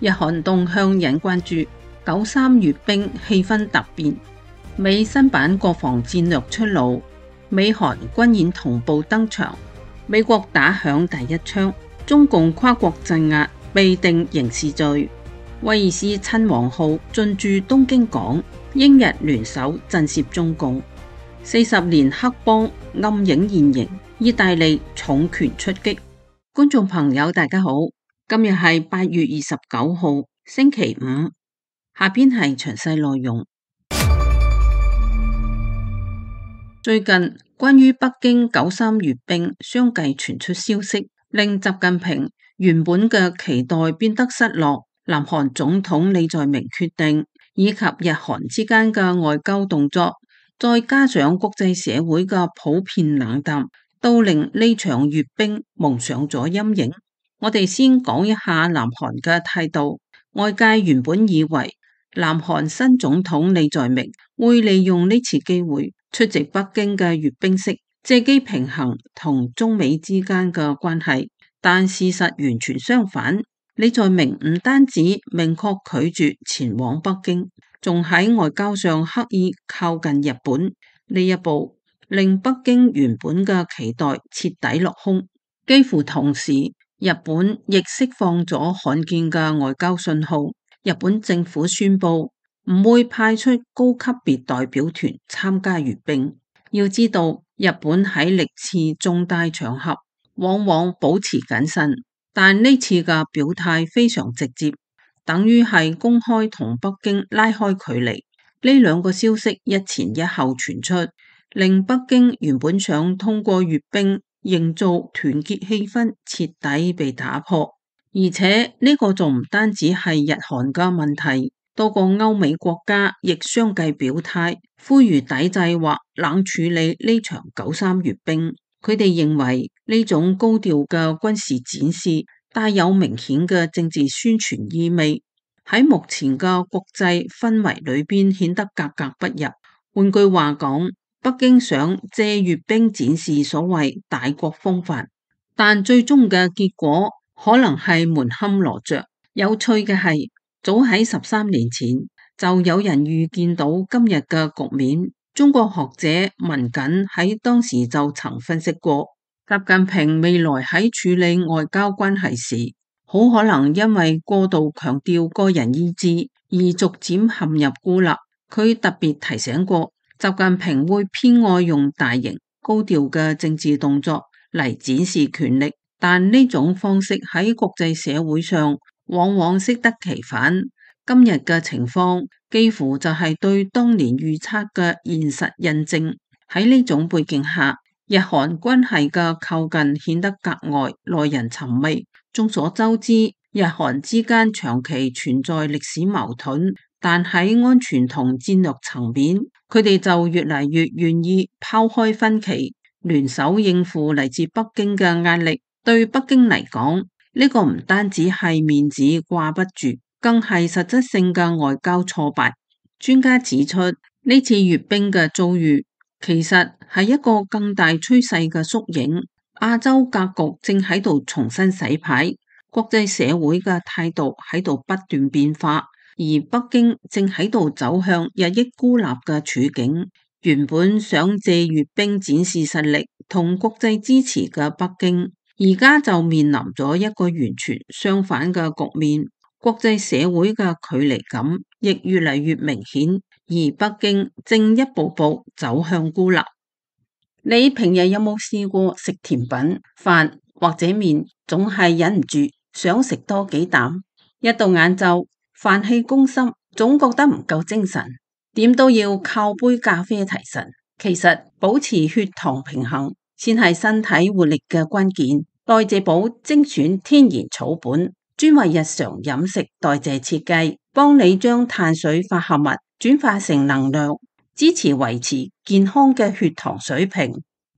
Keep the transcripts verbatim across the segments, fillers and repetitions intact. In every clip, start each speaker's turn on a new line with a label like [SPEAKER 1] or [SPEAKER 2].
[SPEAKER 1] 日韓動向引關注，九三閱兵氣氛突變，美新版國防戰略出爐，美韓軍演同步登場，美國打響第一槍，中共跨國鎮壓被定刑事罪，威爾斯親王號進駐東京港，英日聯手震懾中共，四十年黑幫暗影現形，意大利重拳出擊。觀眾朋友大家好，今日係八月二十九號星期五，下邊係詳細內容。最近關於北京九三閱兵相繼傳出消息，令習近平原本嘅期待變得失落。南韓總統李在明決定，以及日韓之間嘅外交動作，再加上國際社會嘅普遍冷淡，都令呢場閱兵蒙上咗陰影。我哋先講一下南韓嘅態度。外界原本以為南韓新總統李在明會利用呢次機會出席北京嘅閱兵式，借機平衡同中美之間嘅關係，但事實完全相反。李在明唔單止明確拒絕前往北京，仲喺外交上刻意靠近日本，呢一步令北京原本嘅期待徹底落空。幾乎同時，日本亦釋放咗罕見嘅外交信號，日本政府宣布唔會派出高級別代表團參加閱兵。要知道，日本喺歷次重大場合往往保持謹慎，但呢次嘅表態非常直接，等於係公開同北京拉開距離。呢兩個消息一前一後傳出，令北京原本想通過閱兵營造團結氣氛徹底被打破。而且呢個仲唔單止係日韓嘅問題，多個歐美國家亦相繼表態，呼籲抵制或冷處理呢場九三閱兵。佢哋認為呢種高調嘅軍事展示帶有明顯嘅政治宣傳意味，喺目前嘅國際氛圍裏邊顯得格格不入。換句話講，北京想借閱兵展示所謂大國風範，但最終嘅結果可能係門可羅雀。有趣嘅係，早喺十三年前就有人預見到今日嘅局面。中國學者文錦喺當時就曾分析過，習近平未來喺處理外交關係時，好可能因為過度強調個人意志而逐漸陷入孤立。佢特別提醒過，習近平會偏愛用大型高調嘅政治動作嚟展示權力，但呢種方式喺國際社會上往往適得其反。今日嘅情況幾乎就係對當年預測嘅現實印證。喺呢種背景下，日韓關係嘅靠近顯得格外耐人尋味。眾所周知，日韓之間長期存在歷史矛盾，但喺安全同戰略層面，佢哋就越嚟越願意拋開分歧，聯手應付嚟自北京嘅壓力。對北京嚟講，呢個唔單止係面子掛不住，更係實質性嘅外交挫敗。專家指出，呢次閱兵嘅遭遇其實係一個更大趨勢嘅縮影。亞洲格局正喺度重新洗牌，國際社會嘅態度喺度不斷變化，而北京正喺度走向日益孤立嘅處境。原本想借閱兵展示實力同國際支持嘅北京，而家就面臨咗一個完全相反嘅局面。國際社會嘅距離感亦越嚟越明顯，而北京正一步步走向孤立。你平日有冇試過食甜品、飯或者麵，總係忍唔住想食多幾啖？一到晏晝，飯氣攻心，總覺得唔夠精神，點都要靠杯咖啡提神。其實保持血糖平衡先係身體活力嘅關鍵。代謝寶精選天然草本，專為日常飲食代謝設計，幫你將碳水化合物轉化成能量，支持維持健康嘅血糖水平，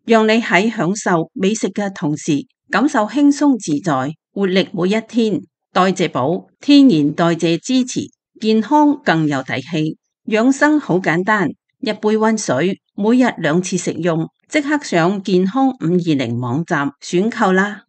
[SPEAKER 1] 讓你喺享受美食嘅同時感受輕鬆自在，活力每一天。代謝寶天然代謝支持健康更有底氣，養生好簡單，一杯溫水，每日兩次食用，即刻上健康五二零網站選購啦。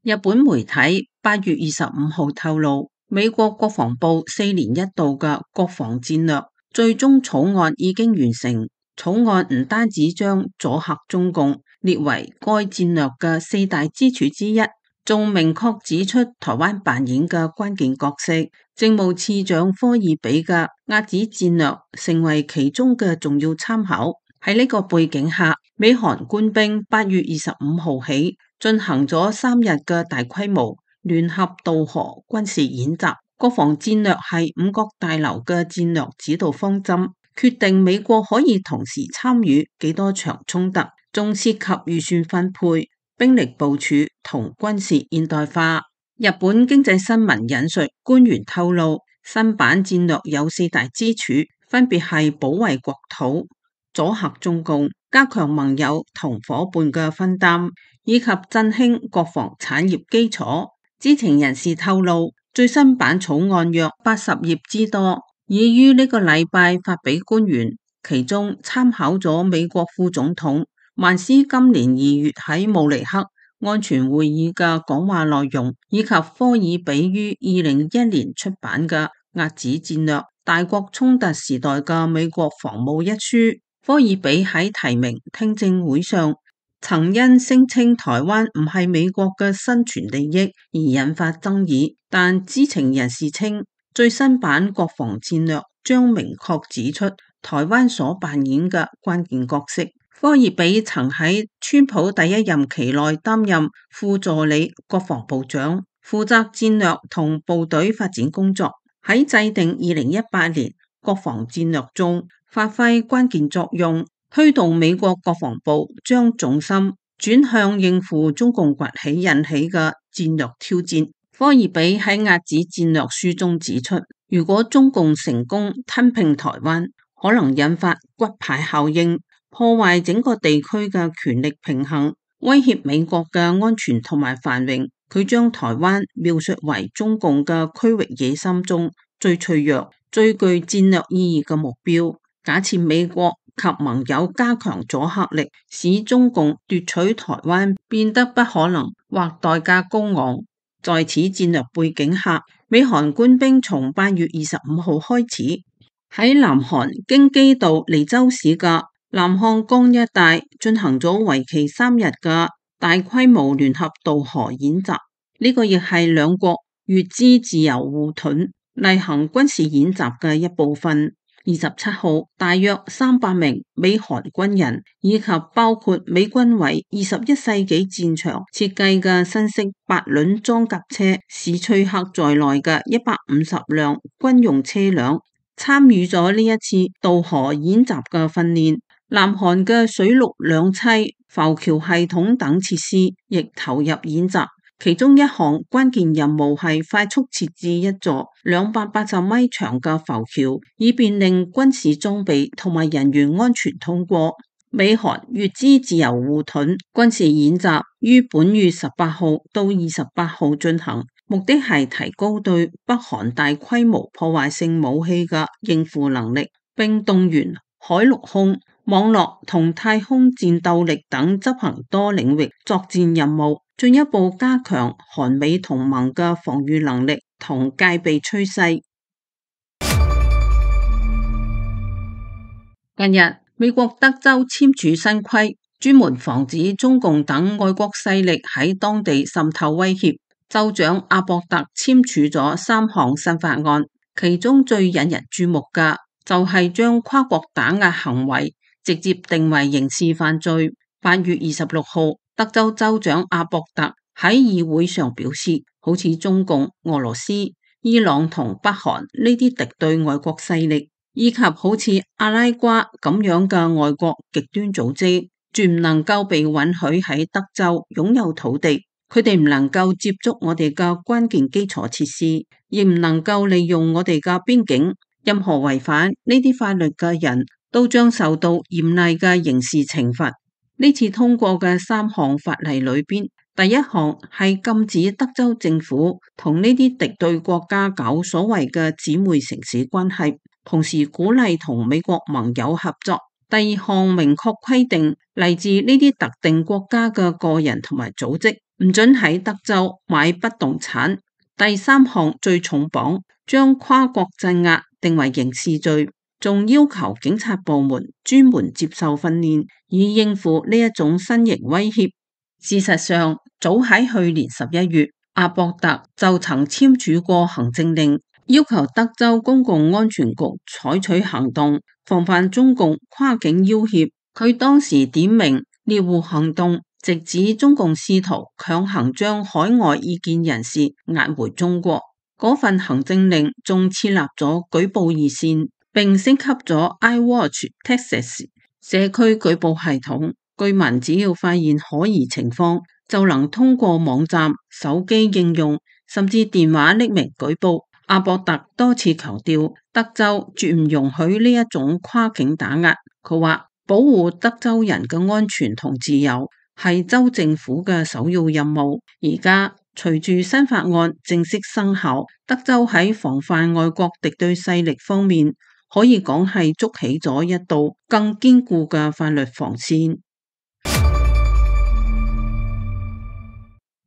[SPEAKER 1] 日本媒體八月二十五號透露，美國國防部四年一度嘅國防戰略最終草案已經完成。草案唔單止將阻嚇中共列為該戰略嘅四大支柱之一，仲明確指出台灣扮演嘅關鍵角色。政務次長科爾比嘅遏止戰略成為其中嘅重要參考。喺呢個背景下，美韓官兵八月二十五號起進行咗三日嘅大規模聯合渡河軍事演習。國防戰略係五角大樓嘅戰略指導方針，決定美國可以同時參與幾多場衝突，仲涉及預算分配、兵力部署同軍事現代化。日本經濟新聞引述官員透露，新版戰略有四大支柱，分別係保衛國土、阻嚇中共、加強盟友同夥伴嘅分擔，以及振興國防產業基礎。知情人士透露，最新版草案約八十頁之多，已於呢個禮拜發俾官員，其中參考咗美國副總統曼斯今年二月喺慕尼黑安全會議嘅講話內容，以及科爾比於二零一一年出版嘅遏止戰略大國衝突時代嘅美國防務一書。科爾比喺提名聽證會上曾因聲稱台灣唔係美國嘅生存利益而引發爭議，但知情人士稱最新版國防戰略將明確指出台灣所扮演嘅關鍵角色。科爾比曾喺川普第一任期內擔任副助理國防部長，負責戰略同部隊發展工作，喺制定二零一八年國防戰略中發揮關鍵作用，推動美國國防部將重心轉向應付中共崛起引起嘅戰略挑戰。科爾比喺遏止戰略書中指出，如果中共成功吞併台灣，可能引發骨牌效應，破壞整個地區嘅權力平衡，威脅美國嘅安全同埋繁榮。佢將台灣描述為中共嘅區域野心中最脆弱、最具戰略意義嘅目標。假設美國及盟友加強阻嚇力，使中共奪取台灣變得不可能或代價高昂。在此戰略背景下，美韓官兵從八月二十五號開始喺南韓京畿道梨州市嘅南漢江一帶進行咗為期三日嘅大規模聯合渡河演習。呢、這個亦係兩國乙支自由護盾例行軍事演習嘅一部分。二十七號，大約三百名美韓軍人以及包括美軍為二十一世紀戰場設計嘅新式八輪裝甲車史翠克在內嘅一百五十輛軍用車輛參與咗呢一次渡河演習嘅訓練。南韓嘅水陸兩棲、浮橋系統等設施亦投入演習。其中一項關鍵任務係快速設置一座兩百八十米長嘅浮橋，以便令軍事裝備同埋人員安全通過。美韓乙支自由護盾軍事演習於本月十八號到二十八號進行，目的係提高對北韓大規模破壞性武器嘅應付能力，並動員海陸空、網絡同太空戰鬥力等執行多領域作戰任務，進一步加強韓美同盟嘅防禦能力同戒備趨勢。近日，美國德州簽署新規，專門防止中共等外國勢力喺當地滲透威脅。州長阿博特簽署咗三項新法案，其中最引人注目嘅就係將跨國打壓行為直接定為刑事犯罪。八月二十六號，德州州長阿博特喺議會上表示，好似中共、俄羅斯、伊朗同北韓呢啲敵對外國勢力，以及好似阿拉瓜咁樣嘅外國極端組織，絕唔能夠被允許喺德州擁有土地。佢哋唔能夠接觸我哋嘅關鍵基礎設施，亦唔能夠利用我哋嘅邊境。任何違反呢啲法律嘅人都將受到嚴厲嘅刑事懲罰。呢次通過嘅三項法例裏邊，第一項係禁止德州政府同呢啲敵對國家搞所謂嘅姊妹城市關係，同時鼓勵同美國盟友合作。第二項明確規定，嚟自呢啲特定國家嘅個人同埋組織唔准喺德州買不動產。第三項最重磅，將跨國鎮壓定為刑事罪，仲要求警察部門專門接受訓練，以應付呢一種新型威脅。事實上，早喺去年十一月，阿博特就曾簽署過行政令，要求德州公共安全局採取行動，防範中共跨境要挾。佢當時點名獵戶行動，直指中共試圖強行將海外異見人士押回中國。嗰份行政令仲設立咗舉報熱線，並升級咗 iWatch Texas 社區舉報系統。居民只要發現可疑情況，就能通過網站、手機應用甚至電話匿名舉報。阿博特多次強調，德州絕唔容許呢一種跨境打壓。佢話，保護德州人嘅安全同自由係州政府嘅首要任務。而家隨住新法案正式生效，德州喺防範外國敵對勢力方面，可以講係築起咗一道更堅固嘅法律防線。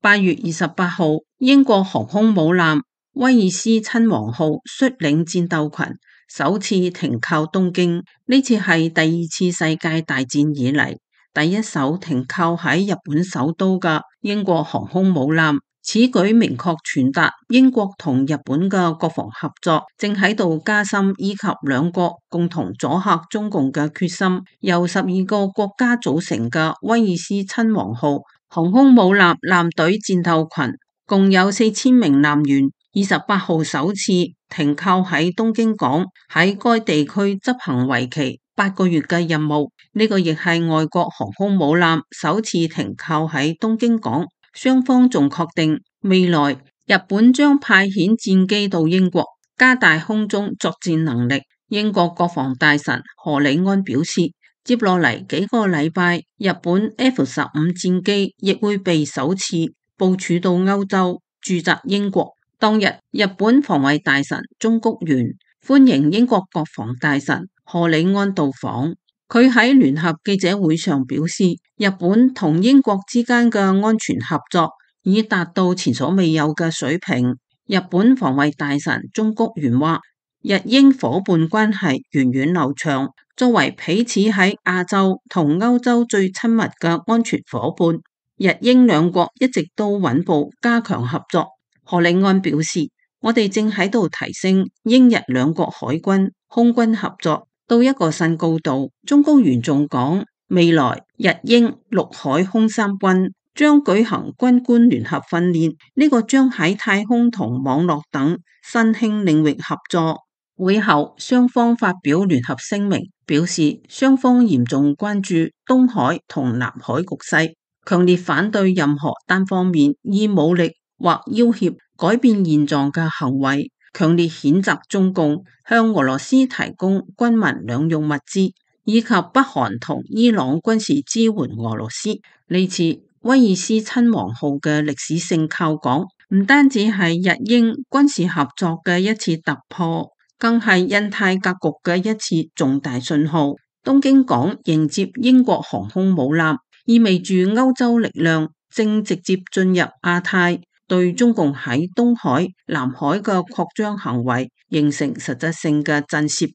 [SPEAKER 1] 八月二十八號，英國航空母艦威爾斯親王號率領戰鬥群首次停靠東京，呢次係第二次世界大戰以嚟第一艘停靠喺日本首都嘅英國航空母艦。此舉明確傳達英國同日本嘅國防合作正喺度加深，以及兩國共同阻嚇中共嘅決心。由十二個國家組成嘅威爾斯親王號航空母艦艦隊戰鬥群共有四千名艦員，二十八號首次停靠喺東京港，喺該地區執行為期八個月嘅任務。呢、這個亦係外國航空母艦首次停靠喺東京港。雙方仲確定未來日本將派遣戰機到英國，加大空中作戰能力。英國國防大臣何里安表示，接落嚟幾個禮拜，日本 F 十五戰機亦會被首次部署到歐洲駐紮英國。當日，日本防衛大臣中谷元歡迎英國國防大臣何里安到訪。佢喺聯合記者會上表示，日本同英國之間嘅安全合作已達到前所未有嘅水平。日本防衛大臣中谷元話，日英伙伴關係源遠流長，作為彼此喺亞洲同歐洲最親密嘅安全伙伴，日英兩國一直都穩步加強合作。何里安表示，我哋正喺度提升英日兩國海軍、空軍合作到一個新高度。中谷元仲講，未來日英陸海空三軍將舉行軍官聯合訓練，呢個將喺太空同網絡等新興領域合作。會後雙方發表聯合聲明，表示雙方嚴重關注東海同南海局勢，強烈反對任何單方面以武力或要挾改變現狀嘅行為，強烈譴責中共向俄羅斯提供軍民兩用物資，以及北韓同伊朗軍事支援俄羅斯。呢次威爾斯親王號嘅歷史性靠港，唔單止係日英軍事合作嘅一次突破，更係印太格局嘅一次重大信號。東京港迎接英國航空母艦，意味住歐洲力量正直接進入亞太，對中共喺東海、南海嘅擴張行為形成實質性嘅震懾。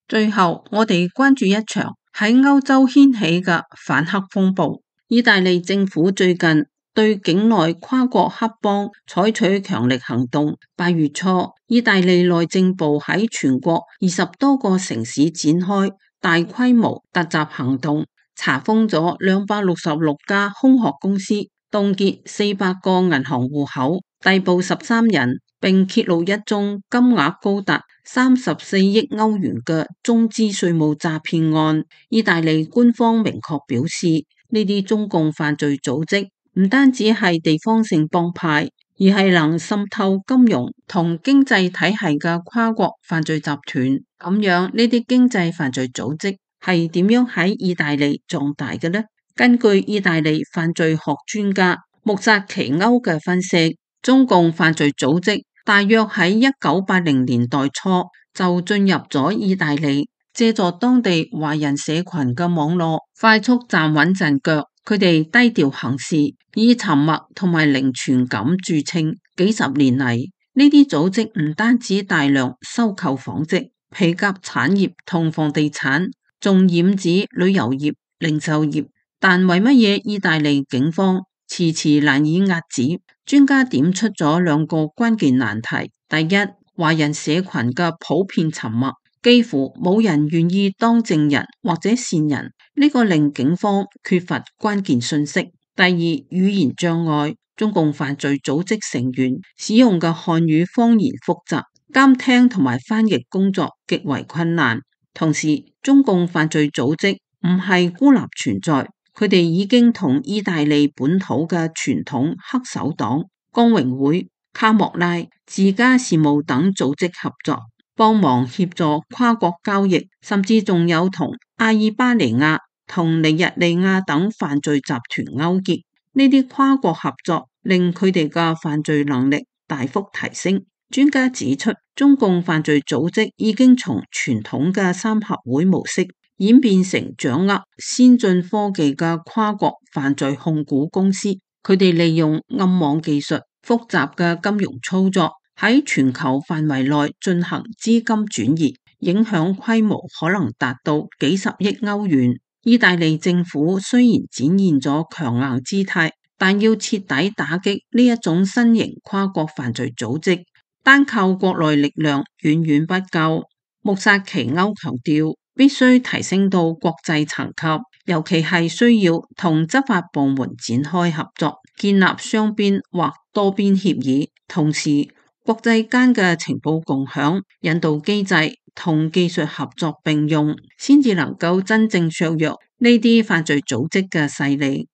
[SPEAKER 1] 最後，我哋關注一場喺歐洲掀起嘅反黑風暴。意大利政府最近對境內跨國黑幫採取強力行動。八月初，意大利內政部喺全國二十多個城市展開大規模突襲行動，查封咗兩百六十六家空殼公司，凍結四百個銀行戶口，逮捕十三人，並揭露一宗金額高達三十四億歐元嘅中資稅務詐騙案。意大利官方明確表示，呢啲中共犯罪組織唔單止係地方性幫派，而係能滲透金融同經濟體系嘅跨國犯罪集團。咁樣，呢啲經濟犯罪組織係點樣喺意大利壯大嘅呢？根據意大利犯罪學專家穆薩奇歐嘅分析，中共犯罪組織大約喺一九八零年代初就進入咗意大利，借助當地華人社群嘅網絡，快速站穩陣腳。佢哋低調行事，以沉默同埋零傳感著稱。幾十年嚟，呢啲組織唔單止大量收購紡織、皮革產業同房地產，仲染指旅遊業、零售業。但為乜嘢意大利警方遲遲難以遏止？專家點出咗兩個關鍵難題。第一，華人社群嘅普遍沉默，幾乎冇人願意當證人或者線人，呢個令警方缺乏關鍵信息。第二，語言障礙，中共犯罪組織成員使用嘅漢語方言複雜，監聽同埋翻譯工作極為困難。同時，中共犯罪組織唔係孤立存在，佢哋已經同意大利本土嘅傳統黑手黨、光榮會、卡莫拉、自家事務等組織合作，幫忙協助跨國交易，甚至仲有同阿爾巴尼亞同尼日利亞等犯罪集團勾結。呢啲跨國合作令佢哋嘅犯罪能力大幅提升。專家指出，中共犯罪組織已經從傳統嘅三合會模式演變成掌握先進科技嘅跨國犯罪控股公司。佢哋利用暗網技術、複雜嘅金融操作，喺全球範圍內進行資金轉移，影響規模可能達到幾十億歐元。意大利政府雖然展現咗強硬姿態，但要徹底打擊呢一種新型跨國犯罪組織，單靠國內力量遠遠不夠。穆薩奇歐強調，必須提升到國際層級，尤其係需要同執法部門展開合作，建立雙邊或多邊協議，同時國際間嘅情報共享、引導機制同技術合作並用，先至能夠真正削弱呢啲犯罪組織嘅勢力。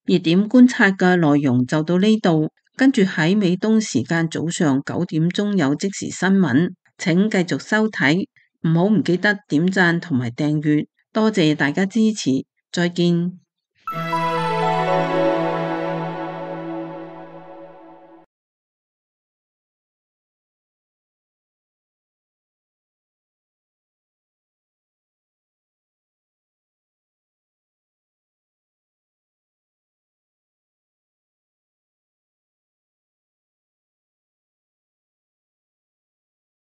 [SPEAKER 1] 熱點觀察嘅內容就到呢度，跟住喺美東時間早上九點鐘有即時新聞，請繼續收睇，唔好唔記得點讚同埋訂閱，多謝大家支持，再見。